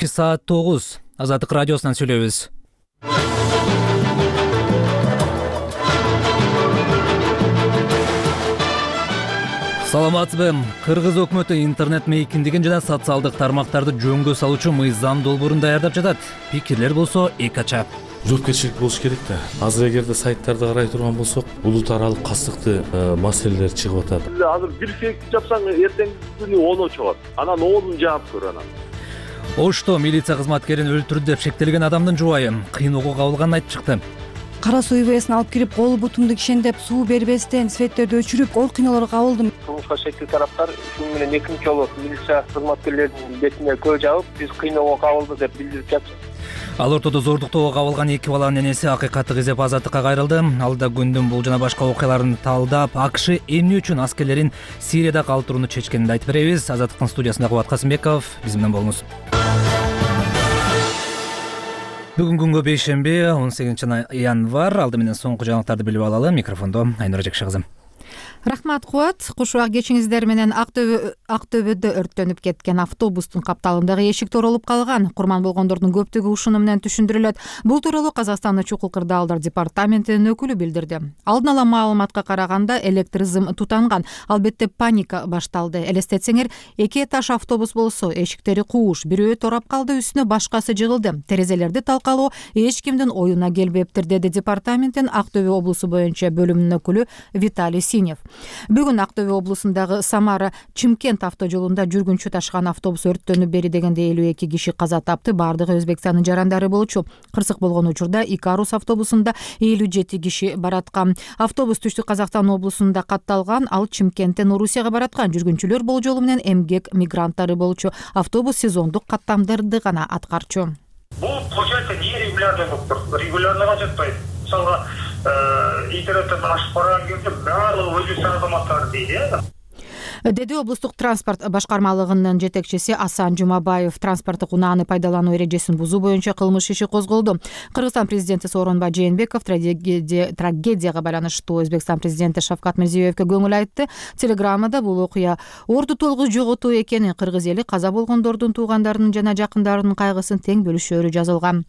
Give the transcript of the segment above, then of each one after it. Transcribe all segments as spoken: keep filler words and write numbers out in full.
Кечки саат тогуз. Азаттык радиосунан сүйлөйбүз. Саламатсызбы? Кыргыз өкмөтү интернет мейкиндигин жана социалдык тармактарды жөнгө салуучу мыйзам долбоорун даярдап жатат. Пикирлер болсо эки ача. Жоопкерчилик болуш керек да. Азыр эгерде сайттарды карай турган болсок, улут аралык кастыктуу маселелер чыгып атат. Азыр бир фейк жапсаң, эртеңки күнү он чыгат. Анан онун жаап көр анан. Ошто милиция кызматкерин өлтүрдү деп шектелген адамдын жубайы кыйноого кабылганын айтып чыкты. Кара суу ивесин алып кирип, кол бутумду кишендеп, суу бербестен светтерди өчүрүп, оор кыйноолорго кабылдым. Кылмышка шектүү тараптар ушуну менен экинчи жолу милиция кызматкерлеринин бетине көө жабып, биз кыйноого кабылдык деп билдирип жатты. Ал ортодо зордуктоого кабылган эки баланын энеси акыйкатты изеп азаттыкка кайрылды. Алда күндүн бул жана башка окуяларын талдап, АКШ эмне үчүн аскерлерин Сирияда калтырууну чечкенин айтып беребиз. Азаттыктын студиясында Кубат Касымбеков, биз менен болуңуз. Бүгүн күнгө бейшемби, он сегизинчи январь. Алды менен соңку жаңылыктарды билип алалы. Микрофондо Айнура Жекши кызы. Рахмат, Кубат. Куш убак кечиңиздер менен Актөбөдө өрттөнүп кеткен автобустун капталындагы эшик торолуп калган. Курман болгондордун көптүгү ушуну менен түшүндүрүлөт. Бул тууралуу Казакстандын чукул кырдаалдар департаментинин өкүлү билдирди. Алдын ала маалыматка караганда электр зым тутанган. Албетте паника башталды. Элестетсеңер, эки этаж автобус болсо, эшиктери кууш, бирөө турап калды, үстүнө башкасы жыгылды. Терезелерди талкалоо эч кимдин оюна келбептир, деди департаменттин Актөбө облусу боюнча бөлүмүнүн өкүлү Виталий Синев. Бүгүн Актөбө облусундагы Самара Чымкент автожолунда жүргүнчү ташыган автобус өрттөнүп бери дегенде элүү эки киши каза тапты. Бардыгы Өзбекстандын жарандары болчу. Кырсык болгон учурда Икарус автобусунда элүү жети киши бараткан. Автобус Түштүк Казакстан облусунда катталган, ал Чымкенттен Орусияга бараткан. Жүргүнчүлөр болжолу менен эмгек мигранттары болчу. Автобус сезондук каттамдарды гана аткарчу. Бул получается не регулярный болып тұр. Регулярныйға жатпайды. Мысалға интернеттен ашып қараған кезде барлығы өзбекстан азаматтары дейді. Деди облустук транспорт башкармалыгынын жетекчиси Асан Жумабаев. Транспорттук унааны пайдалануу эрежесин бузуу боюнча кылмыш иши козголду. Кыргызстан президенти Сооронбай Жээнбеков трагедияга байланыштуу Өзбекстан президенти Шавкат Мирзиёевке көңүл айтты. Телеграммада бул окуя орду толугу жоготуу экенин, кыргыз эли каза болгондордун туугандарынын жана жакындарынын кайгысын тең бөлүшөөрү жазылган.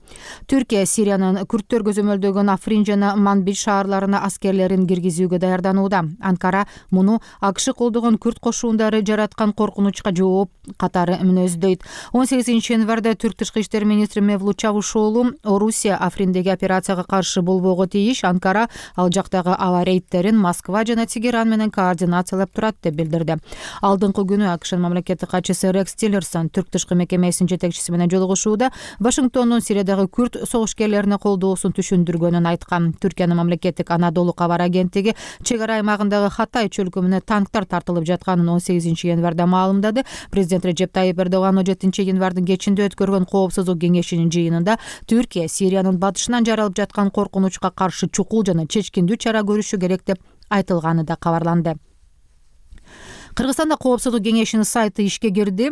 Түркия Сириянын күрттөр көзөмөлдөгөн Африн жана Манбij шаарларына аскерлерин киргизүүгө даярданууда. Анкара муну АКШ колдогон күрт кошуундары жараткан коркунучка жооп катары мүнөздөйт. он сегизинчи январда Түрк тышкы иштер министри Мевлут Чавушоğlu Орусия Африндеги операцияга каршы болбого тийиш. Анкара ал жактагы аба рейдтерин Москва жана Тегеран менен координациялап турат деп билдирди. Алдыңкы күнү АКШнын мамлекеттик катчысы Рекс Тиллерсон Түрк тышкы мекемесинин жетекчиси менен жолугушууда Вашингтондун Сириядагы күрт согушкерлерине колдоосун түшүндүргөнүн айткан. Түркиянын мамлекеттик Анадолу кабар агенттиги чек ара аймагындагы Хатай чөлкөмүнө танктар тартылып жатканын он сегизинчи январда маалымдады. Президент Режеп Тайип Эрдоган он жетинчи январдын кечинде өткөргөн коопсуздук кеңешинин жыйынында Түркия Сириянын батышынан жаралып жаткан коркунучка каршы чукул жана чечкиндүү чара көрүшү керек деп айтылганы да кабарланды. Кыргызстанда коопсуздук кеңешинин сайты ишке кирди.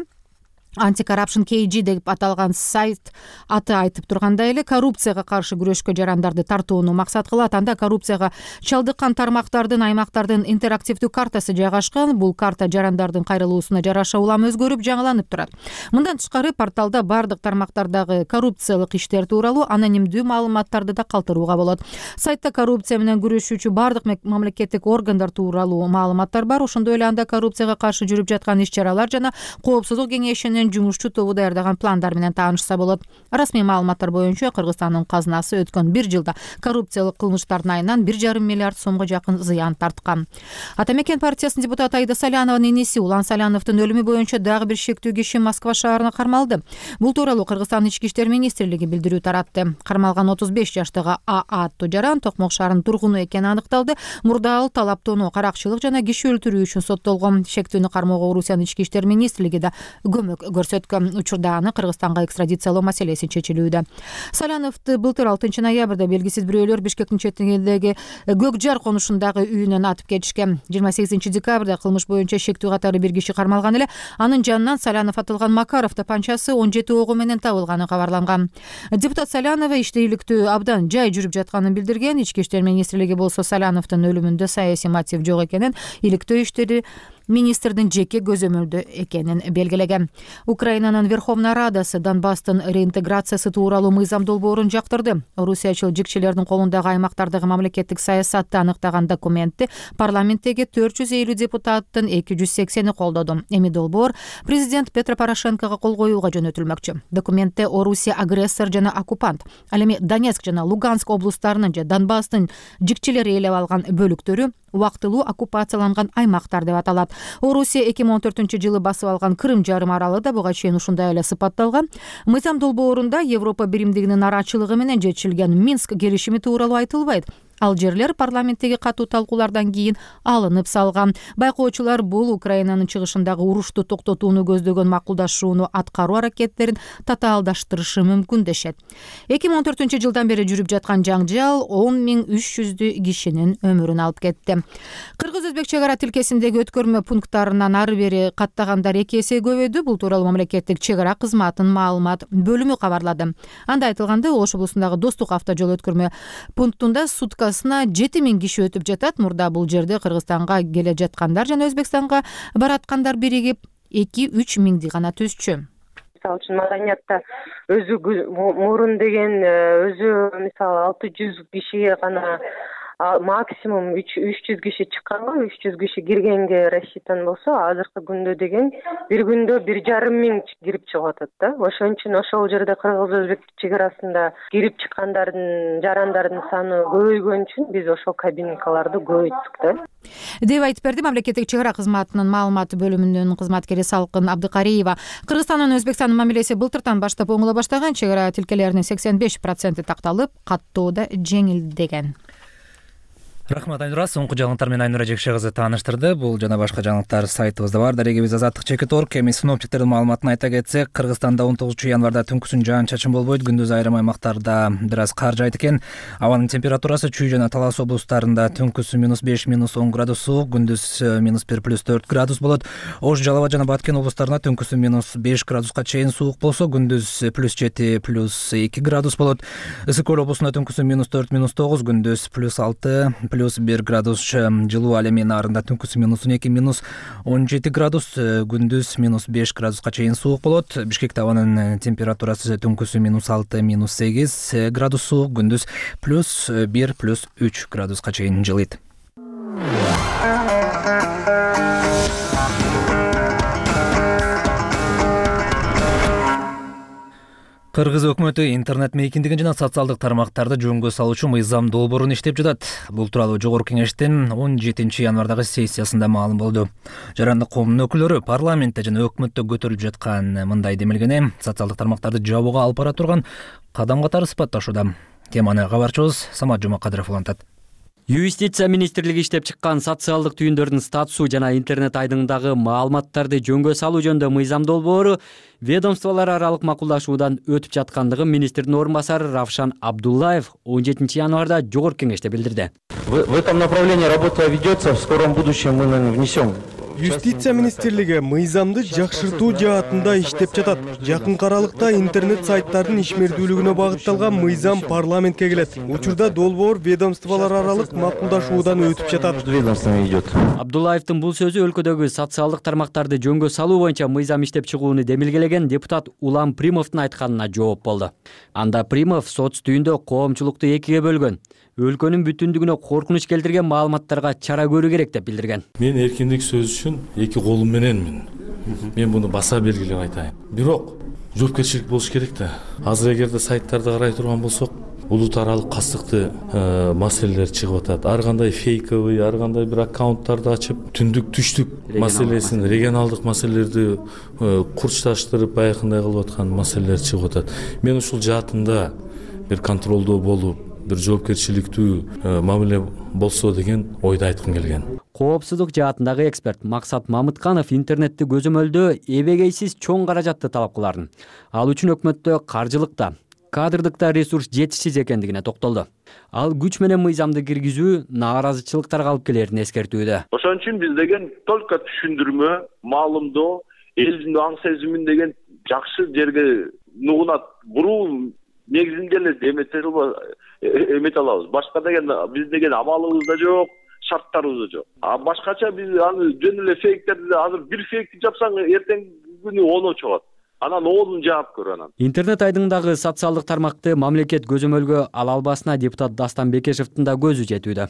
Anti-Corruption кей джи деп аталган сайт аты айтып тургандай эле коррупцияга каршы күрөшкө жарандарды тартууну максат кылат. Анда коррупцияга чалдыккан тармактардын, аймактардын интерактивдүү картасы жайгашкан. Бул карта жарандардын кайрылуусуна жараша улам өзгөрүп, жаңыланып турат. Мындан тышкары порталда бардык тармактардагы коррупциялык иштер тууралуу анонимдүү маалыматтарды да калтырууга болот. Сайтта коррупция менен күрөшүүчү бардык мамлекеттик органдар тууралуу маалыматтар бар. Ошондой эле анда коррупцияга каршы жүрүп жаткан иш-чаралар жана коопсуздук кеңешинин жумушчу тобу даярдаган пландар менен таанышса болот. Расмий маалыматтар боюнча Кыргызстандын казынасы өткөн бир жылда коррупциялык кылмыштардын айынан бир жарым миллиард сомго жакын зыян тарткан. Ата Мекен партиясынын депутаты Айда Салянованын энеси Улан Саляновдун өлүмү боюнча дагы бир шектүү киши Москва шаарына кармалды. Бул тууралуу Кыргызстан ички иштер министрлиги билдирүү таратты. Кармалган отуз беш жаштагы А аттуу жаран Токмок шаарынын тургуну экени аныкталды. Мурда ал талаптоону, каракчылык жана киши өлтүрүү үчүн соттолгон. Шектүүнү кармоого Орусиянын ички иштер министрлиги да көмөк көрсөткөн. Учурда аны Кыргызстанга экстрадициялоо маселеси чечилүүдө. Саляновду былтыр алтынчы ноябрда белгисиз бирөөлөр Бишкектин четинидеги Көк Жар конушундагы үйүнөн атып кетишкен. жыйырма сегизинчи декабрда кылмыш боюнча шектүү катары бир киши кармалган эле. Анын жанынан Салянов атылган Макаров тапанчасы он жети ого менен табылганы кабарланган. Депутат Салянова иштейликтүү абдан жай жүрүп жатканын билдирген. Ички иштер министрлиги болсо Саляновдун өлүмүндө саясий мотив жок экенин, иликтөө иштери министрдин жеке көзөмөлдө экенин белгилеген. Украинанын Верховная Радасы Донбасстын реинтеграциясы тууралуу мыйзам долбоорун жактырды. Орусиячыл жикчилердин колундагы аймактардагы мамлекеттик саясатты аныктаган документти парламенттеги төрт жүз элүү депутаттын эки жүз сексени колдоду. Эми долбоор президент Петро Порошенкого кол коюуга жөнөтүлмөкчү. Документте Орусия агрессор жана оккупант. Ал эми Донецк жана Луганск облустарынын же Донбасстын жикчилери ээлеп алган бөлүктөрү убактылуу оккупацияланган аймактар деп аталат. Орусия эки миң он төртүнчү жылы басып алган Крым жарым аралы да буга чейин ушундай эле сыпатталган. Мыйзам долбоорунда Европа биримдигинин нарачылыгы менен жетишилген Минск келишими тууралуу айтылбайт. Ал жерлер парламенттеги катуу талкуулардан кийин алынып салган. Байкоочулар бул Украинанын чыгышындагы урушту токтотууну көздөгөн макулдашууну аткаруу аракеттерин татаалдаштырышы мүмкүн дешет. эки миң он төртүнчү жылдан бери жүрүп жаткан жаңжал он миң үч жүздөй кишинин өмүрүн алып кетти. Кыргыз-өзбек чек ара тилкесиндеги өткөрмө пункттарынан ары бери каттагандар эки эсе көбөйдү. Бул тууралуу мамлекеттик чек ара кызматынын маалымат бөлүмү кабарлады. Анда айтылгандай, Ош облусундагы Достук автожол өткөрмө пунктунда сутка жети миң киши өтүп жатат. Мурда бул жерде Кыргызстанга келе жаткандар жана Өзбекстанга бараткандар биригип эки үч миңди гана түзчү. Мисалы үчүн маданиятта өзү мурун деген өзү мисалы алты жүз кишиге гана максимум үч жүз киши чыкканга, үч жүз киши киргенге рассчитан болсо, азыркы күндө деген бир күндө бир жарым миң кирип чыгып атат да. Ошон үчүн ошол жерде Кыргыз-Өзбек чек арасында кирип чыккандардын, жарандардын саны көбөйгөн үчүн биз ошол кабинкаларды көбөйттүк да. Деп айтып берди мамлекеттик чек ара кызматынын маалымат бөлүмүнүн кызматкери Салкын Абдыкариева. Кыргызстан менен Өзбекстандын мамилеси былтыртан баштап оңоло баштаган. Чек ара тилкелеринин сексен беш проценти такталып, каттоо да жеңилдеген. Рахмат, Айнура. Соңку жаңылыктар менен Айнура Жекше кызы тааныштырды. Бул жана башка жаңылыктар сайтыбызда бар. Дарегибиз азаттык чекит точка орг. Эми синоптиктердин маалыматын айта кетсек, Кыргызстанда он тогузунчу январда түнкүсүн жаан-чачын болбойт. Күндүз айрым аймактарда бир аз кар жаайт экен. Абанын температурасы Чүй жана Талас облустарында түнкүсү минус беш минус он градус суук, күндүз минус бир плюс төрт градус болот. Ош, Жалал абад жана Баткен облустарында түнкүсү минус беш градуска чейин суук болсо, күндүз плюс жети плюс эки градус болот. Ысык көл облусунда түнкүсү минус төрт минус тогуз, күндүз плюс алты плюс бир градус жылуу. Ал эми нарында түнкүсү минус он эки минус он жети градус, күндүз минус беш градуска чейин суук болот. Бишкекте абанын температурасы түнкүсү минус алты минус сегиз градус суук, күндүз плюс бир плюс үч градуска чейин жылыйт. Кыргыз өкмөтү интернет мейкиндигин жана социалдык тармактарды жөнгө салуучу мыйзам долбоорун иштеп жатат. Бул тууралуу Жогорку Кеңештин он жетинчи январдагы сессиясында маалым болду. Жарандык коомдун өкүлдөрү парламентте жана өкмөттө көтөрүлүп жаткан мындай демилгени социалдык тармактарды жабууга алып бара турган кадам катары сыпатташууда. Теманы кабарчыбыз Самат Жумакадыров улантат. Юстиция министрлиги иштеп чыккан социалдык түйүндөрдүн статусу жана интернет айдыңдагы маалыматтарды жөнгө салуу жөнүндө мыйзам долбоору ведомстволор аралык макулдашуудан өтүп жаткандыгын министрдин орун басары Равшан Абдуллаев он жетинчи январда Жогорку Кеңеште билдирди. В этом направлении работа ведется, в скором будущем мы внесем. Юстиция министрлиги мыйзамды жакшыртуу жаатында иштеп жатат. Жакынкы аралыкта интернет сайттардын ишмердүүлүгүнө багытталган мыйзам парламентке келет. Учурда долбоор ведомстволор аралык макулдашуудан өтүп жатат. Абдуллаевдин бул сөзү өлкөдөгү социалдык тармактарды жөнгө салуу боюнча мыйзам иштеп чыгууну демилгелеген депутат Улам Примовдун айтканына жооп болду. Анда Примов соц түйүндө коомчулукту экиге бөлгөн, өлкөнүн бүтүндүгүнө коркунуч келтирген маалыматтарга чара көрүү керек деп билдирген. Мен эркиндик сөз үчүн эки колум мененмин. Мен муну баса белгилеп айтайын. Бирок жоопкерчилик болуш керек да. Азыр эгерде сайттарды карай турган болсок, улут аралык кастыкты маселелер чыгып атат. Ар кандай фейковый, ар кандай бир аккаунттарды ачып, түндүк түштүк маселесин, регионалдык маселелерди курчташтырып, баягындай кылып аткан маселелер чыгып атат. Мен ушул жаатында бир контролдоо болуп, бир жоопкерчиликтүү мамиле болсо деген ойду айткым келген. Коопсуздук жаатындагы эксперт Максат Мамытканов интернетти көзөмөлдөө эбегейсиз чоң каражатты талап кыларын. Ал үчүн өкмөттө каржылыкта, кадрдыкта ресурс жетишсиз экендигине токтолду. Ал күч менен мыйзамды киргизүү нааразычылыктарга алып келерин эскертүүдө. Ошон үчүн биз деген только түшүндүрмө, маалымдоо, элдин аң сезимин деген жакшы жерге нугунат буруу негизинде эле эмете алабыз. Башка деген биз деген амалыбыз да жок, шарттарыбыз жок. А башкача биз аны жөн эле фейктерди азыр бир фейкти жапсаң эртеңки күнү оноо чыгат. Анан оодун жаап көр анан. Интернет айдыңдагы социалдык тармакты мамлекет көзөмөлгө ала албасына депутат Дастан Бекешевдин да көзү жетүүдө.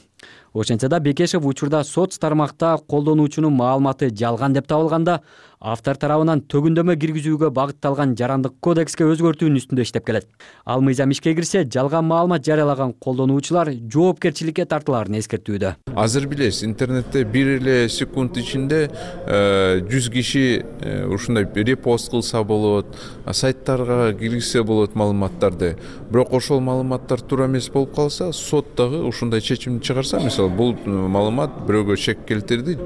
Ошентсе да Бекешев учурда соц тармакта колдонуучунун маалыматы жалган деп табылганда, автор тарабынан төгүндөмө киргизүүгө багытталган жарандык кодекске өзгөртүүнүн үстүндө иштеп келет. Ал мыйзам ишке кирсе, жалган маалымат жарыялаган колдонуучулар жоопкерчиликке тартылаарын эскертүүдө. Азыр билесиз, интернетте бир эле секунд ичинде жүз киши ушундай репост кылса болот, сайттарга киргизсе болот маалыматтарды. Бирок ошол маалыматтар туура эмес болуп калса, сот дагы ушундай чечим чыгарса, мисалы бул маалымат бирөөгө шек келтирди,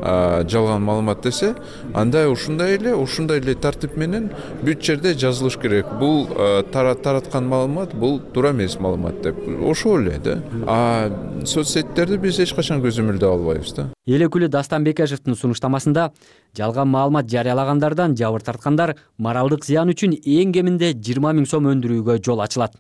жалган маалымат десе, анда ушундай эле ушундай эле тартип менен бүт жерде жазылыш керек. Бул тараткан маалымат, бул туура эмес маалымат деп. Ошол эле да. А соцсеттерди биз эч качан көзөмөлдөй албайбыз да. Эл өкүлү Дастан Бекешевдин сунуштамасында жалган маалымат жарыялагандардан жабыр тарткандар моралдык зыян үчүн эң кеминде жыйырма миң сом өндүрүүгө жол ачылат.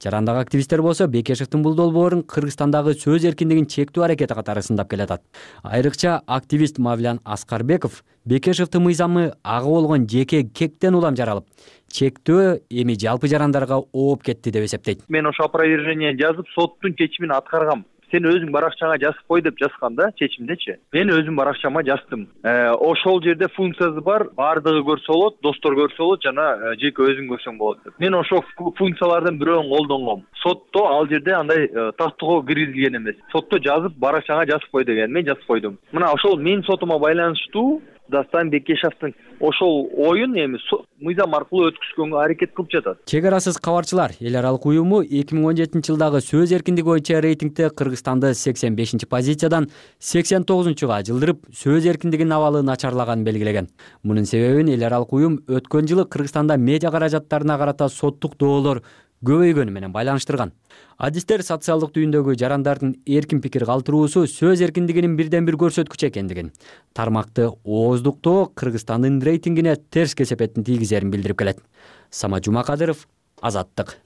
Жарандагы активисттер болсо Бекешевдин бул долбоорун Кыргызстандагы сөз эркиндигин чектөө аракети катары сындап келатат. Айрыкча активист Мавлян Аскарбеков Бекешевдин мыйзамы ага болгон жеке кектен улам жаралып, чектөө эми жалпы жарандарга ооп кетти деп эсептейт. Мен ошо опровержение жазып, соттун чечимин аткаргам. Сен өзүң баракчаңа жазып кой деп жазган да чечимдечи. Мен өзүм баракчама жаздым. Ошол жерде функциясы бар, баардыгы көрсө болот, достор көрсө болот, жана жеке өзүң көрсөң болот деп. Мен ошол функциялардын бирөөнүн колдонгом. Сотто ал жерде андай тактоо киргизилген эмес. Сотто жазып, баракчаңа жазып кой деген. Мен жазып койдум. Мына ошол менин сотума байланыштуу Дастан Бекешевдин ошол оюн эми мыйзам аркылуу өткүзгөнгө аракет кылып жатат. Чек арасыз кабарчылар эл аралык уюму эки миң он жетинчи жылдагы сөз эркиндиги боюнча рейтингде Кыргызстанды сексен бешинчи позициядан сексен тогузунчуга жылдырып, сөз эркиндигинин абалы начарлаганын белгилеген. Мунун себебин эл аралык уюм өткөн жылы Кыргызстанда медиа каражаттарына карата соттук доолор көбөйгөнү менен байланыштырган. Адистер социалдык түйүндөгү жарандардын эркин пикир калтыруусу сөз эркиндигинин бирден бир көрсөткүчү экендигин, тармакты ооздуктоо Кыргызстандын рейтингине терс кесепетин тийгизерин билдирип келет. Самат Жумакадыров, Азаттык.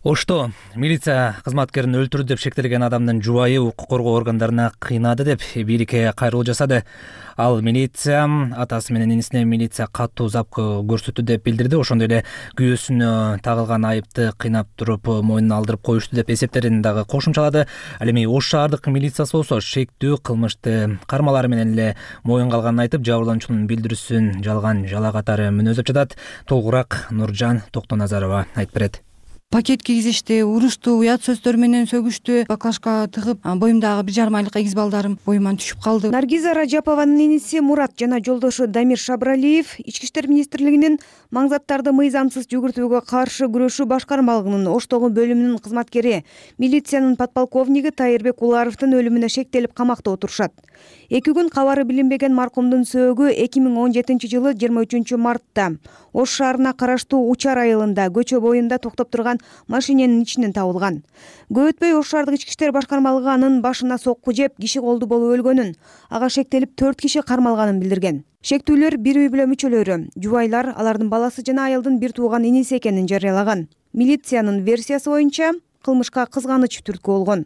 Ошто милиция кызматкерин өлтүрдү деп шектелген адамдын жубайы укук коргоо органдарына кыйнады деп бийликке кайрылуу жасады. Ал милиция атасы менен инисине милиция катуу зап көрсөттү деп билдирди. Ошондой эле күйөөсүнө тагылган айыпты кыйнап туруп мойнуна алдырып коюшту деп эсептерин дагы кошумчалады. Ал эми Ош шаардык милициясы болсо шектүү кылмышты кармалары менен эле моюнга алганын айтып, жабырлануучунун билдирүүсүн жалган жала катары мүнөздөп жатат. Толугураак Нуржан Токтоназарова айтып берет. Пакет кийгизишти, урушту, уят сөздөр менен сөгүштү. Баклажка тыгып, боюмдагы бир жарым айлык эгиз балдарым боюман түшүп калды. Наргиза Раджапованын иниси Мурат жана жолдошу Дамир Шабралиев Ички иштер министрлигинин маңзаттарды мыйзамсыз жүгүртүүгө каршы күрөшүү башкармалыгынын Оштогу бөлүмүнүн кызматкери, милициянын подполковниги Тайырбек Уларовдун өлүмүнө шектелип камакта отурушат. Эки күн кабары билинбеген маркумдун сөөгү эки миң он жетинчи жылы жыйырма үчүнчү мартта Ош шаарына караштуу Учар айылында көчө боюнда токтоп турган машиненин ичинен табылган. Көп өтпөй Ош шаардык ички иштер башкармалыгы анын башына сокку жеп, киши колду болуп өлгөнүн, ага шектелип төрт киши кармалганын билдирген. Шектүүлөр бир үй бүлө мүчөлөрү, жубайлар, алардын баласы жана айылдын бир тууган иниси экенин жарыялаган. Милициянын версиясы боюнча кылмышка кызганыч түрткү болгон.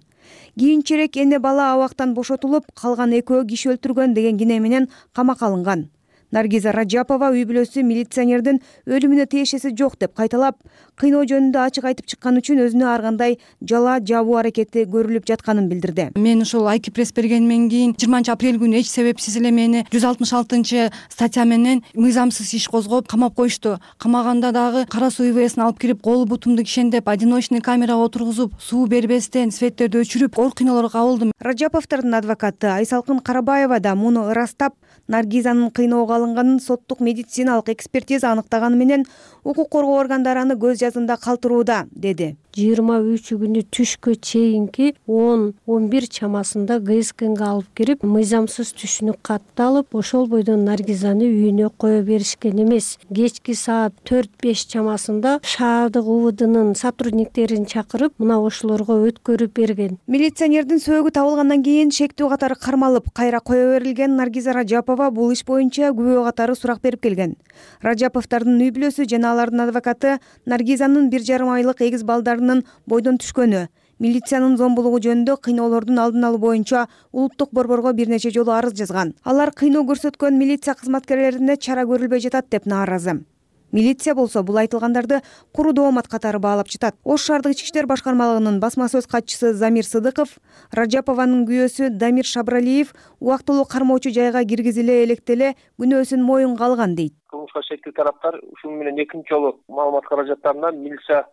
Кийинчерээк эне бала абактан бошотулуп, калган экөө киши өлтүргөн деген кине менен камакка алынган. Наргиза Раджапова үй бүлөсү милиционердин өлүмүнө тиешеси жок деп кайталап, кыйноо жөнүндө ачык айтып чыккан үчүн өзүнө ар кандай жала жабуу аракети көрүлүп жатканын билдирди. Мен ошол айки пресс бергенден кийин жыйырманчы апрель күнү эч себепсиз эле мени жүз алтымыш алтынчы статья менен мыйзамсыз иш козгоп камап коюшту. Камаганда дагы кара суу ивэсин алып кирип, кол бутумду кишендеп, одиночный камерага отургузуп, суу бербестен, светтерди өчүрүп, оор кыйноолорго кабылдым. Раджаповдордун адвокаты Айсалкын Карабаева да муну ырастап, Наргизанын кыйноого алынганын соттук медициналык экспертиза аныктаганы менен укук коргоо органдары аны көз жазында калтырууда, деди. жыйырма үчү күнү түшкө чейинки он он бир чамасында ГСКнга алып кирип мыйзамсыз түшүнүк катты алып ошол бойдон Наргизаны үйүнө кое беришкен эмес. Кечки саат төрт беш чамасында шаардык УВДнын сотрудниктерин чакырып мына ошолорго өткөрүп берген. Милиционердин сөөгү табылгандан кийин шектүү катары кармалып кайра кое берилген Наргиза Ражапова бул иш боюнча күбө катары сурак берип келген. Ражаповдордун үй бүлөсү жана алардын адвокаты Наргизанын бир жарым айлык эгиз балдарынын бойдон түшкөнү, милициянын зомбулугу жөнүндө кыйноолордун алдын алуу боюнча улуттук борборго бир нече жолу арыз жазган. Алар кыйноо көрсөткөн милиция кызматкерлерине чара көрүлбөй жатат деп нааразы. Милиция болсо бул айтылгандарды куру доомат катары баалап жатат. Ош шаардык ички иштер башкармалыгынын басма сөз катчысы Замир Сыдыков Ражапованын күйөөсү Дамир Шабралиев убактылуу кармоочу жайга киргизиле электе эле күнөөсүн моюнга алган дейт. Кылмышка шектүү тараптар ушуну менен экинчи жолу маалымат каражаттарынан милиция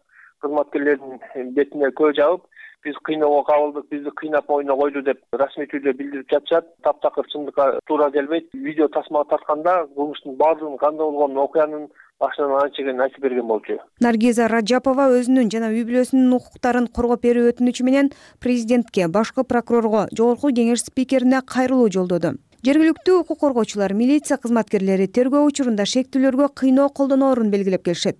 кызматкерлеринин бетине көө жабып, биз кыйноого кабылдык, бизди кыйнап моюна койду деп расмий түрдө билдирип жатышат. Таптакыр чындыкка туура келбейт. Видео тасмага тартканда кылмыштын баардыгын кандай болгонун, окуянын башынан анча айтып берген болчу. Наргиза Ражапова өзүнүн жана үй бүлөсүнүн укуктарын коргоп берүү өтүнүчү менен президентке, башкы прокурорго, жогорку кеңеш спикерине кайрылуу жолдоду. Жергиликтүү укук коргоочулар, милиция кызматкерлери тергөө учурунда шектүүлөргө кыйноо колдоноорун белгилеп келишет.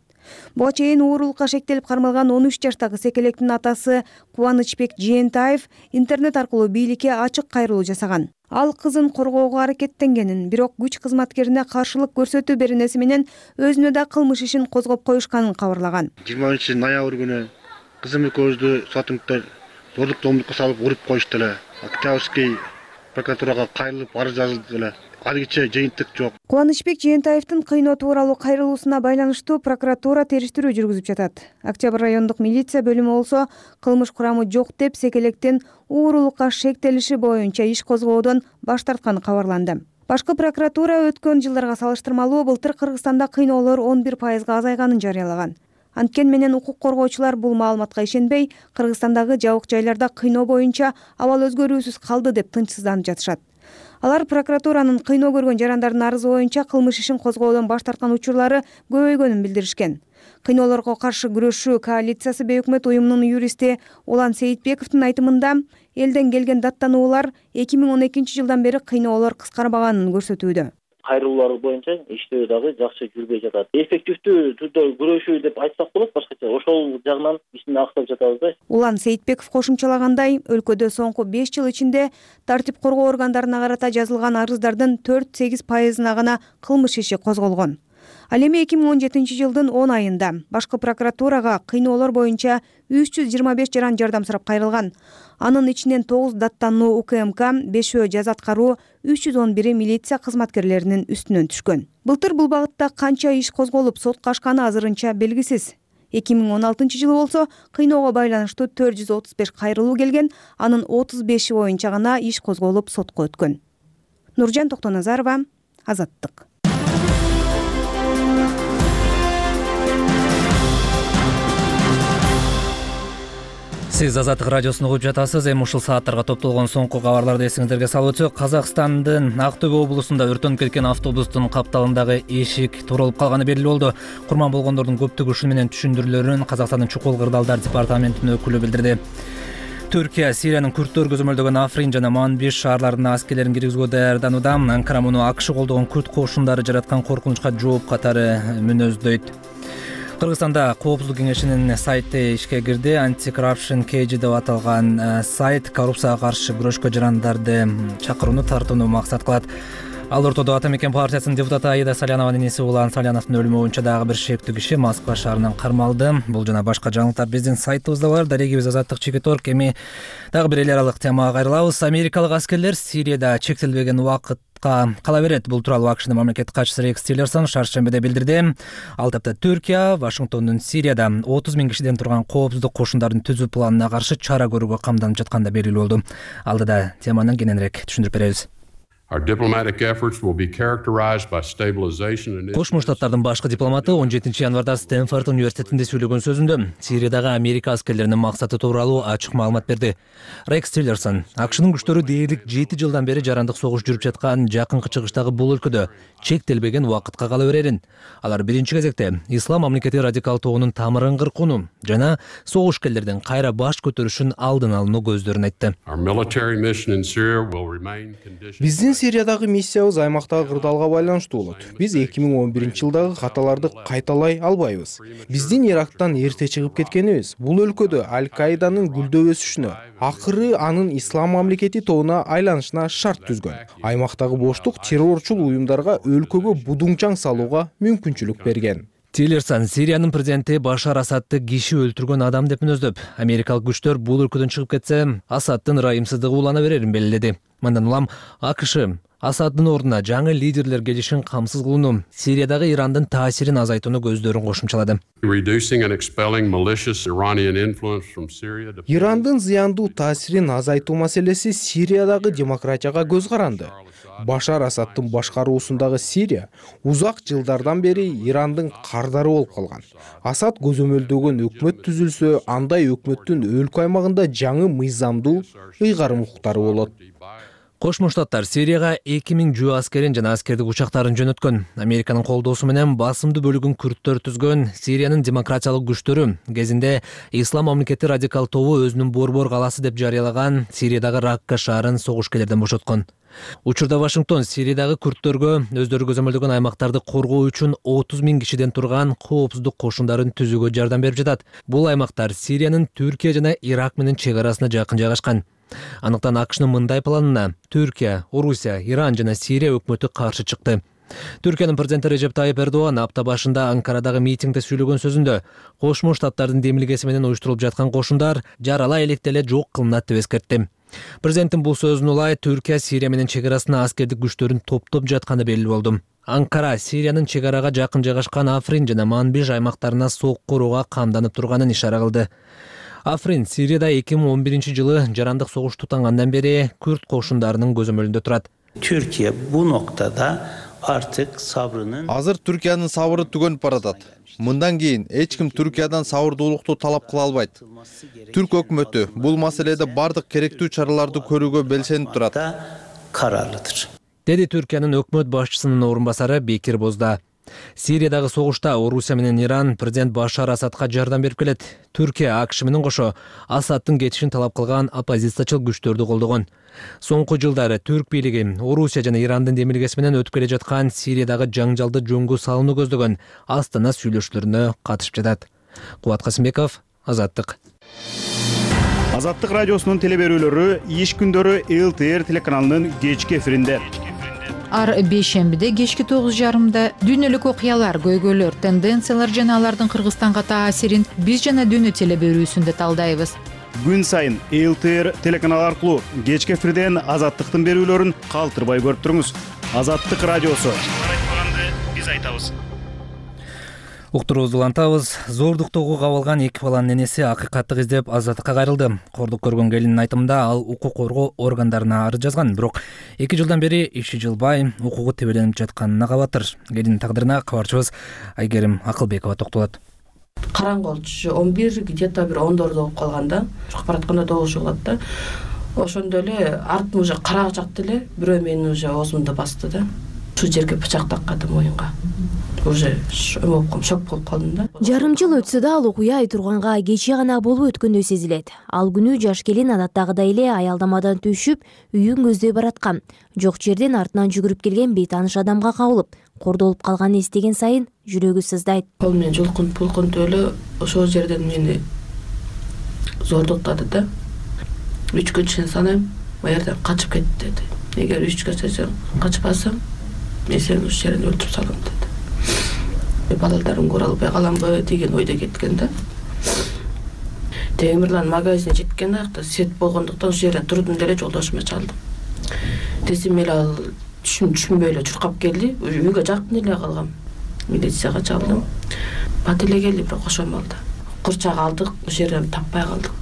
Буга чейин уурулукка шектелип кармалган он үч жаштагы секелектин атасы Кубанычбек Жээнтаев интернет аркылуу бийликке ачык кайрылуу жасаган. Ал кызын коргоого аракеттенгенин, бирок күч кызматкерине каршылык көрсөтүү беренеси менен өзүнө да кылмыш ишин козгоп коюшканын кабарлаган. жыйырманчы ноябрь күнү кызым экөөбүздү сотрудниктер зордук зомбулукка салып уруп коюшту эле. Октябрьский прокуратурага кайрылып арыз жазылды эле. Алгыча жыйынтык жок. Кубанычбек Жээнтаевдин кыйноо тууралуу кайрылуусуна байланыштуу прокуратура териштирүү жүргүзүп жатат. Октябрь райондук милиция бөлүмү болсо кылмыш курамы жок деп секелектин уурулукка шектелиши боюнча иш козгоодон баш тартканы кабарланды. Башкы прокуратура өткөн жылдарга салыштырмалуу былтыр Кыргызстанда кыйноолор он бир пайызга азайганын жарыялаган. Анткени менен укук коргоочулар бул маалыматка ишенбей, Кыргызстандагы жабык жайларда кыйноо боюнча абал өзгөрүүсүз калды деп тынчсызданып жатышат. Алар прокуратуранын кыйноо көргөн жарандардын арызы боюнча кылмыш ишин козгоодон баш тарткан учурлары көбөйгөнүн билдиришкен. Кыйноолорго каршы күрөшүү коалициясы бейөкмөт уюмунун юристи Улан Сейитбековдун айтымында, элден келген даттануулар эки миң он экинчи жылдан бери кыйноолор кыскарбаганын көрсөтүүдө. Кайрылуулар боюнча иштөө дагы жакшы жүрбөй жатат. Эффективдүү түрдө күрөшүү деп айтсак болот, башкача ошол жагынан ишин актап жатабыз да. Улан Сейитбеков кошумчалагандай, өлкөдө соңку беш жыл ичинде тартип коргоо органдарына карата жазылган арыздардын төрт сегиз пайызына гана кылмыш иши козголгон. Ал эми эки миң он жетинчи жылдын он айында башкы прокуратурага кыйноолор боюнча үч жүз жыйырма беш жаран жардам сурап кайрылган. Анын ичинен тогуз даттануу УКМК, бешөө жаза аткаруу, үч жүз он бири милиция кызматкерлеринин үстүнөн түшкөн. Былтыр бул багытта канча иш козголуп сотко ашканы азырынча белгисиз. эки миң он алтынчы жылы болсо кыйноого байланыштуу төрт жүз отуз беш кайрылуу келген, анын отуз беши боюнча гана иш козголуп сотко өткөн. Нуржан Токтоназарова, Азаттык. Сиз Азаттык радиосун угуп жатасыз. Эми ушул сааттарга топтолгон соңку кабарларды эсиңиздерге салып өтсөк, Казакстандын Актөбө облусунда өрттөнүп кеткен автобустун капталындагы эшик туралып калганы белгилүү болду. Курман болгондордун көптүгү ушун менен түшүндүрүлөрүн Казакстандын чукул кырдаалдар департаментинин өкүлү билдирди. Түркия Сириянын күрттөр көзөмөлдөгөн Африн жана Манбиш шаарларына аскерлерин киргизүүгө даярданууда. Анкара муну АКШ колдогон күрт кошундары жараткан коркунучка жооп катары мүнөздөйт. Кыргызстанда Коопсуздук кеңешинин сайты ишке кирди. Anti-Corruption Cage деп аталган сайт коррупцияга каршы күрөшкө жарандарды чакырууну тартууну максат кылат. Ал ортодо Ата Мекен партиясынын депутаты Аида Салянованын энеси Улан Саляновдун өлүмү боюнча дагы бир шектүү киши Москва шаарынан кармалды. Бул жана башка жаңылыктар биздин сайтыбызда бар. Дарегибиз Азаттык чекит орг. Эми дагы бир эл аралык темага кайрылабыз. Америкалык аскерлер Сирияда чектелбеген убакыт кала берет. Бул тууралуу АКШнын мамлекеттик катчысы Рекс Тиллерсон шаршембиде билдирди. Ал тапта Түркия Вашингтондун Сирияда отуз миң кишиден турган коопсуздук кошундарын түзүү планына каршы чара көрүүгө камданып жатканда белгилүү болду. Алдыда теманы кененирээк түшүндүрүп беребиз. Кошмо Штаттардын башкы дипломаты он жетинчи январда Стэнфорд университетинде сүйлөгөн сөзүндө Сириядагы Америка аскерлеринин максаты тууралуу ачык маалымат берди. Рекс Тиллерсон акшнын күчтөрү дээрлик жети жылдан бери жарандык согуш жүрүп жаткан жакынкы чыгыштагы бул өлкөдө чектелбеген убакытка кала берерин. Алар биринчи кезекте ислам мамлекети радикал тобунун тамырын кыркууну жана согушкерлердин кайра баш көтөрүшүн алдын алууну көздөрүн айтты. Биздин Сириядагы миссиябыз аймактагы кырдаалга байланыштуу болот. Биз эки миң он биринчи жылдагы каталарды кайталай албайбыз. Биздин Ирактан эрте чыгып кеткенибиз бул өлкөдө Аль-Каиданын гүлдөп өсүшүнө, акыры анын ислам мамлекети тобуна айланышына шарт түзгөн. Аймактагы боштук террорчул уюмдарга өлкөгө будуңчаң салууга мүмкүнчүлүк берген. Тиллерсон Сириянын президенти Башар Асадты киши өлтүргөн адам деп мүнөздөп, америкалык күчтөр бул өлкөдөн чыгып кетсе, Асадтын ырайымсыздыгы улана берерин белгиледи. Мындан улам АКШ Асаддын ордуна жаңы лидерлер келишин камсыз кылууну, Сириядагы Ирандын таасирин азайтууну көздөрүн кошумчалады. Ирандын зыяндуу таасирин азайтуу маселеси Сириядагы демократияга көз каранды. Башар Асадтын башкаруусундагы Сирия узак жылдардан бери Ирандын кардары болуп калган. Асад көзөмөлдөгөн өкмөт түзүлсө, андай өкмөттүн өлкө аймагында жаңы мыйзамдуу ыйгарым укуктары болот. Кошмо Штаттар Сирияга эки миң жөө аскерин жана аскердик учактарын жөнөткөн. Американын колдоосу менен басымдуу бөлүгүн күрттөр түзгөн Сириянын демократиялык күчтөрү кезинде ислам мамлекети радикал тобу өзүнүн борбор калаасы деп жарыялаган Сириядагы Ракка шаарын согушкерлерден бошоткон. Учурда Вашингтон Сириядагы күрттөргө өздөрү көзөмөлдөгөн аймактарды коргоо үчүн отуз миң кишиден турган коопсуздук кошундарын түзүүгө жардам берип жатат. Бул аймактар Сириянын Түркия жана Ирак менен чек арасына жакын жайгашкан. Анықтан АКШнын мындай планына Түркия, Орусия, Иран жана Сирия өкмөтү каршы чыкты. Түркиянын президенти Режеп Тайып Эрдоган апта башында Анкарадагы митингде сүйлөгөн сөзүндө Кошмо Штаттардын демилгеси менен уюштурулуп жаткан кошундар жаралай электе эле жок кылынат деп эскертти. Президенттин бул сөзүн улай Түркия Сирия менен чек арасына аскердик күчтөрүн топтоп жатканы белгилүү болду. Анкара Сириянын чек арага жакын жайгашкан Африн жана Манбиж аймактарына сок корууга камданып турганын ишара кылды. Африн Сирияда эки миң он биринчи жылы жарандык согуш тутангандан бери күрт кошундарынын көзөмөлүндө турат. Türkiye bu noktada artık sabrının Азыр Түркиянын сабыры түгөнүп баратат. Мындан кийин эч ким Түркиядан сабырдуулукту талап кыла албайт. Түрк өкмөтү бул маселеде бардык керектүү чараларды көрүүгө белсенип турат. Kararlıdır. Деди Түркиянын өкмөт башчысынын орун басары Бекир Бозда. Сириядагы согушта Орусия менен Иран президент Башар Асадка жардам берип келет. Түркия АКШ менен кошо Асадтын кетишин талап кылган оппозициячыл күчтөрдү колдогон. Соңку жылдары Түрк бийлиги Орусия жана Ирандын демилгеси менен өтүп келе жаткан Сириядагы жаңжалды жөнгө салууну көздөгөн Астана сүйлөшүүлөрүнө катышып жатат. Кубат Касымбеков, Азаттык. Азаттык радиосунун телеберүүлөрү иш күндөрү Эл Т Р телеканалынын кечки эфиринде. Ар бейшембиде кечки тогуз жарымда дүйнөлүк окуялар, көйгөйлөр, тенденциялар жана алардын Кыргызстанга таасирин биз жана дүйнө телеберүүсүндө талдайбыз. Күн сайын Эл Т Р телеканалы аркылуу кечки эфирден Азаттыктын берүүлөрүн калтырбай көрүп туруңуз. Азаттык радиосу. Айтпаганды биз айтабыз. Уктуруубузду улантабыз. Зордуктоого кабылган эки баланын энеси акыйкатты издеп азаттыкка кайрылды. Кордук көргөн келиндин айтымында ал укук коргоо органдарына арыз жазган, бирок эки жылдан бери иши жылбай, укугу тебеленип жатканына кабатыр. Келиндин тагдырына кабарчыбыз Айгерим Акылбекова токтолот. Караңгы болчу, он бир где-то бир ондордо болуп калганда, чыгып баратканда добушу болот да. Ошондо эле артын уже карак жакты эле бирөө мени уже оозумду басты да. Шу жерге бычак таккады моюнга. Уже шок болуп калдым да. Жарым жыл өтсө да ал окуя айтурганга кече гана болуп өткөндөй сезилет. Ал күнү жаш келин адаттагыдай эле аялдамадан түшүп, үйүн көздөй бараткан. Жок жерден артынан жүгүрүп келген бейтааныш адамга кабылып, кордолуп калганын эстеген сайын жүрөгү сыздайт. Кол менен жулкунуп булкунуп эле ошол жерден мени зордуктады да. Үч күн чейин санайм, ал жерден качып кет деди. Эгер үч күнчө качпасам, мен сени ушул жерден өлтүрүп салам деди. Балаларым көрө албай каламбы деген ойдо кеткен да. Темирлан магазине жеткен акта свет болгондуктан ушул жерден турдум деле жолдошума чалдым. Десем эле ал түшүнбөй эле чуркап келди. Үйгө жакын эле калгам. Милицияга чалдым. Бат эле келди, бирок ошол малда. Курчак алдык, ушул жерден таппай калдык.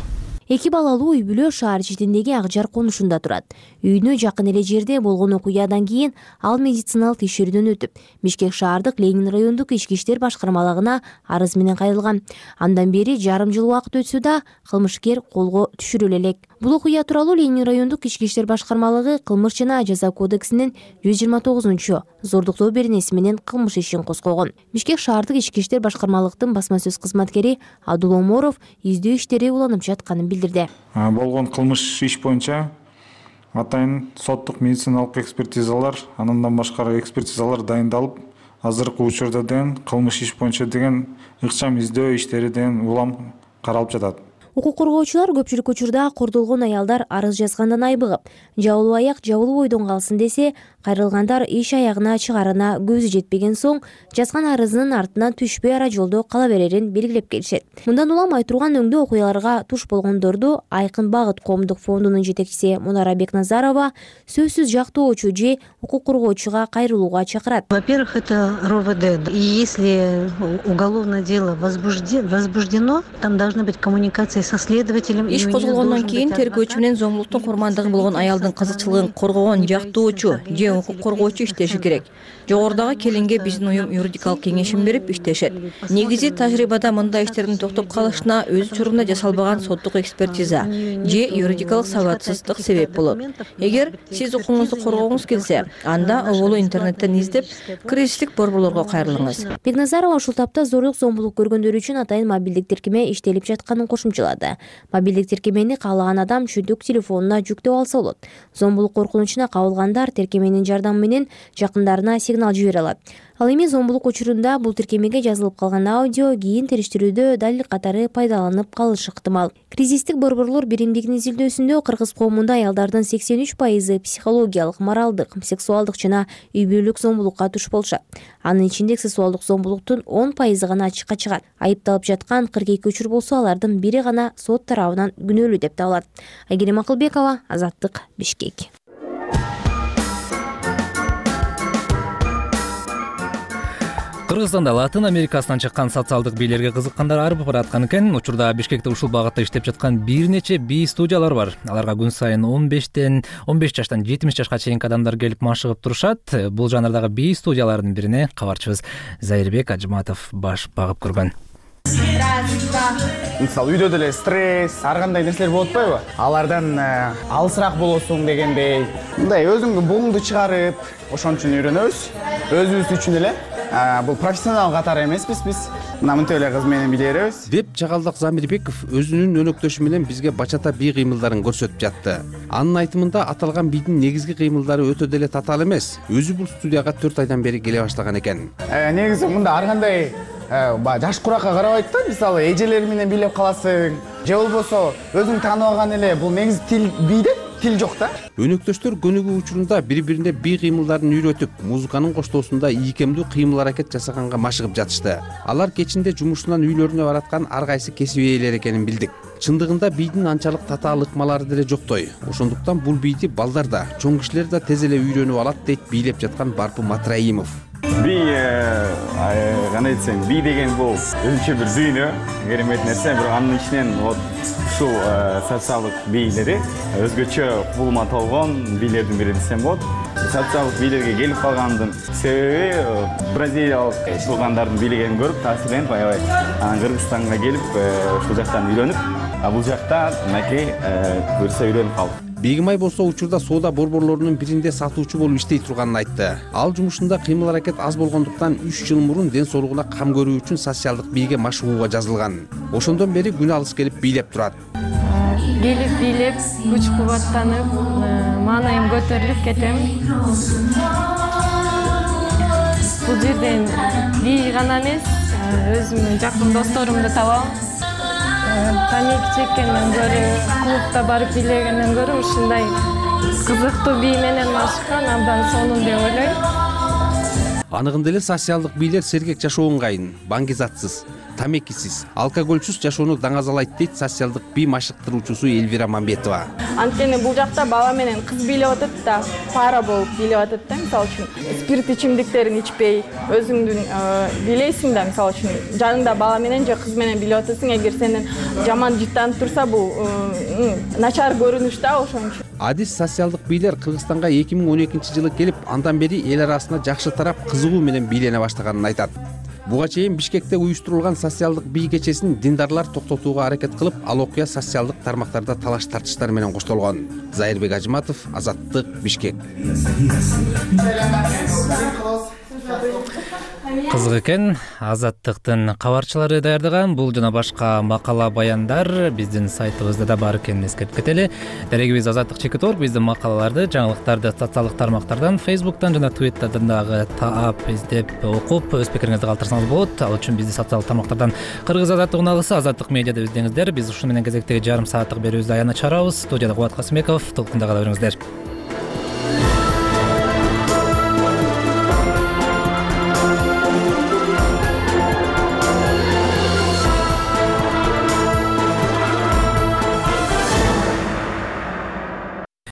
эки балалуу үй бүлө шаар четиндеги ак жар конушунда турат. Үйүнө жакын эле жерде болгон окуядан кийин ал медициналык текшерүүдөн өтүп, Бишкек шаардык Ленин райондук ички иштер башкармалыгына арыз менен кайрылган. Андан бери жарым жыл убакыт өтсө да кылмышкер колго түшүрүлө элек. Бул окуя тууралуу Ленин райондук ички иштер башкармалыгы кылмыш жана жаза кодексинин жүз жыйырма тогузунчу зордуктоо беренеси менен кылмыш ишин козгогон. Бишкек шаардык ички иштер башкармалыктын басма сөз кызматкери Абдул Оморов издөө иштери уланып жатканын билдирди. Болгон кылмыш иш боюнча атайын соттук медициналык экспертизалар, андан башка экспертизалар дайындалып, азыркы учурда деген кылмыш иш боюнча деген ыкчам издөө иштери деген улам каралып жатат. Укук коргоочулар көпчүлүк учурда кордолгон аялдар арыз жазгандан айбыгып, жабылуу аяк жабылуу бойдон калсын десе, кайрылгандар иш аягына чыгарына көзү жетпеген соң жазган арызынын артынан түшпөй ара жолдо кала берерин белгилеп келишет. Мындан улам айтылган өңдө окуяларга туш болгондорду Айкын багыт коомдук фондунун жетекчиси Мунара Бекназарова сөзсүз жактоочу же укук коргоочуга кайрылууга чакырат. Во-первых, это эр о вэ дэ. И если уголовное дело возбуждено, там должны быть коммуникации со следователем. Иш козголгондон кийин тергөөчү менен зомбулуктун курмандыгы болгон аялдын кызыкчылыгын коргогон жактоочу же укук коргоочу иштеши керек. Жогорудагы келинге биздин уюм юридикалык кеңешин берип иштешет. Негизи тажрыйбада мындай иштердин токтоп калышына өз учурунда жасалбаган соттук экспертиза же юридикалык сабатсыздык себеп болот. Эгер сиз укугуңузду коргогуңуз келсе, анда оболу интернеттен издеп, кризистик борборлорго кайрылыңыз. Бекназарова ушул тапта зорлук зомбулук көргөндөр үчүн атайын мобилдик тиркеме иштелип жатканын кошумчалады. Мобилдик тиркемени каалаган адам чүндүк телефонуна жүктөп алса болот. Зомбулук коркунучуна кабылгандар тиркеменин жардамы менен жакындарына сигнал жибере алат. Ал эми зомбулук учурунда бул тиркемеге жазылып калган аудио кийин териштирүүдө далил катары пайдаланып калышы ыктымал. Кризистик борборлор биримдигинин изилдөөсүндө кыргыз коомунда аялдардын сексен үч пайызы психологиялык, моралдык, сексуалдык жана үй бүлөлүк зомбулукка туш болушат. Анын ичинде сексуалдык зомбулуктун он пайызы гана ачыкка чыгат. Айыпталып жаткан кырк эки учур болсо, алардын бири гана сот тарабынан күнөөлүү деп табылат. Айгерим Акылбекова, Азаттык, Бишкек. Кыргызстанда Латын Америкасынан чыккан социалдык бийлерге кызыккандар арбып бараткан экен. Учурда Бишкекте ушул багытта иштеп жаткан бир нече бий студиялар бар. Аларга күн сайын он бештен он беш жаштан жетимиш жашка чейинки адамдар келип машыгып турушат. Бул жанрдагы бий студияларынын бирине кабарчыбыз Зайырбек Ажматов баш багып көргөн. Мисалы үйдө деле стресс, ар кандай нерселер болуп атпайбы? Алардан алысыраак болосуң дегендей. Мындай өзүңдүн буңду чыгарып, ошон үчүн үйрөнөбүз. Өзүбүз үчүн эле. Бул профессионал катары эмеспиз биз. Мына мынтип эле кыз менен биле беребиз. Деп Жагалдак Замирбеков өзүнүн өнөктөшү менен бизге бачата бий кыймылдарын көрсөтүп жатты. Анын айтымында аталган бийдин негизги кыймылдары өтө деле татаал эмес. Өзү бул студияга төрт айдан бери келе баштаган экен. Негизи мында ар кандай жаш куракка карабайт да, мисалы эжелер менен бийлеп каласың, же болбосо өзүң тааныбаган эле бул негизи тил бийде тил жок да. Өнөктөштөр көнүгүү учурунда бири-бирине бий кыймылдарын үйрөтүп, музыканын коштоосунда ийкемдүү кыймыл аракет жасаганга машыгып жатышты. Алар кечинде жумушунан үйлөрүнө бараткан ар кайсы кесип ээлери экенин билдик. Чындыгында бийдин анчалык татаал ыкмалары деле жоктой. Ошондуктан бул бийди балдар да, чоң кишилер да тез эле үйрөнүп алат дейт бийлеп жаткан Барпы Матраимов. Би кандай десем, би деген бул өзүнчө бир дүйнө, керемет нерсе, бирок анын ичинен вот ушул социалдык бийлери өзгөчө кубулма толгон бийлердин бири десем болот. Социалдык бийлерге келип калгандын себеби бразилиялык туугандардын бийлегенин көрүп таасирленип, аябай анан Кыргызстанга келип ушул жактан үйрөнүп, а бул жакта мынакей буюрса үйрөнүп калдым. Бегимай болсо учурда соода борборлорунун биринде сатуучу болуп иштей турганын айтты. Ал жумушунда кыймыл аракет аз болгондуктан үч жыл мурун ден соолугуна кам көрүү үчүн социалдык бийге машыгууга жазылган. Ошондон бери күн алыс келип бийлеп турат. Келип бийлеп, күч кубаттанып, маанайым көтөрүлүп кетем. Бул жерден бий гана эмес, өзүмдүн жакын досторумду табам. Паник чеккенден көрө, клубда барып бийлегенден көрө ушундай кызыктуу бий менен машыккан абдан сонун деп ойлойм. Анығында эле социалдык бийлер сергек жашоо ыңгайын, баңгизатсыз, тамекисиз, алкоголсуз жашоону даңазалайт дейт социалдык бий машыктыруучусу Элвира Мамбетова. Анткени бул жакта бала менен кыз бийлеп атат да, пара болуп бийлеп атат да, мисалы үчүн спирт ичимдиктерин ичпей, өзүңдүн бийлейсиң да, мисалы үчүн жаныңда бала менен же кыз менен бийлеп атасың, эгер сенден жаман жыттанып турса бул начар көрүнүш да, ошон үчүн. Адис социалдык бийлер Кыргызстанга эки миң он экинчи жылы келип, андан бери эл арасында жакшы тарап, кызыгуу менен бийлене баштаганын айтат. Буга чейин Бишкекте уюштурулган социалдык бий кечесин диндарлар токтотууга аракет кылып, ал окуя социалдык тармактарда талаш тартыштар менен коштолгон. Зайырбек Ажыматов, Азаттык, Бишкек. Кызык экен. Азаттыктын кабарчылары даярдаган бул жана башка макала баяндар биздин сайтыбызда да бар экенин эскертип кетели. Дарегибиз азаттык чекит точка орг. Биздин макалаларды, жаңылыктарды социалдык тармактардан, Facebook'tan жана Twitter'дан дагы таап, издеп, окуп, өз пикириңизди калтырсаңыз болот. Ал үчүн бизди социалдык тармактардан Кыргыз азаттык уналысы, Азаттык медиада издеңиздер. Биз ушуну менен кезектеги жарым сааттык берүүбүздү аянына чыгарабыз. Студияда Кубат Касымбеков, толкунда кала бериңиздер.